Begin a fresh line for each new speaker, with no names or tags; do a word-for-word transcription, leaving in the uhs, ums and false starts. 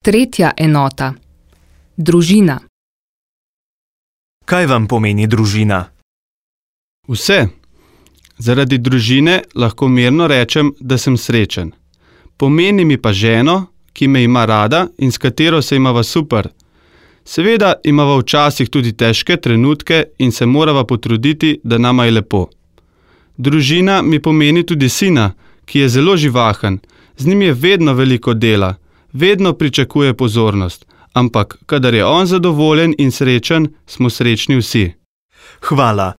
Tretja enota. Družina.
Kaj vam pomeni družina?
Vse. Zaradi družine lahko mirno rečem, da sem srečen. Pomeni mi pa ženo, ki me ima rada in s katero se imava super. Seveda imava včasih tudi težke trenutke in se morava potruditi, da nama je lepo. Družina mi pomeni tudi sina, ki je zelo živahen. Z njim je vedno veliko dela, vedno pričakuje pozornost, ampak kadar je on zadovoljen in srečen, smo srečni vsi.
Hvala.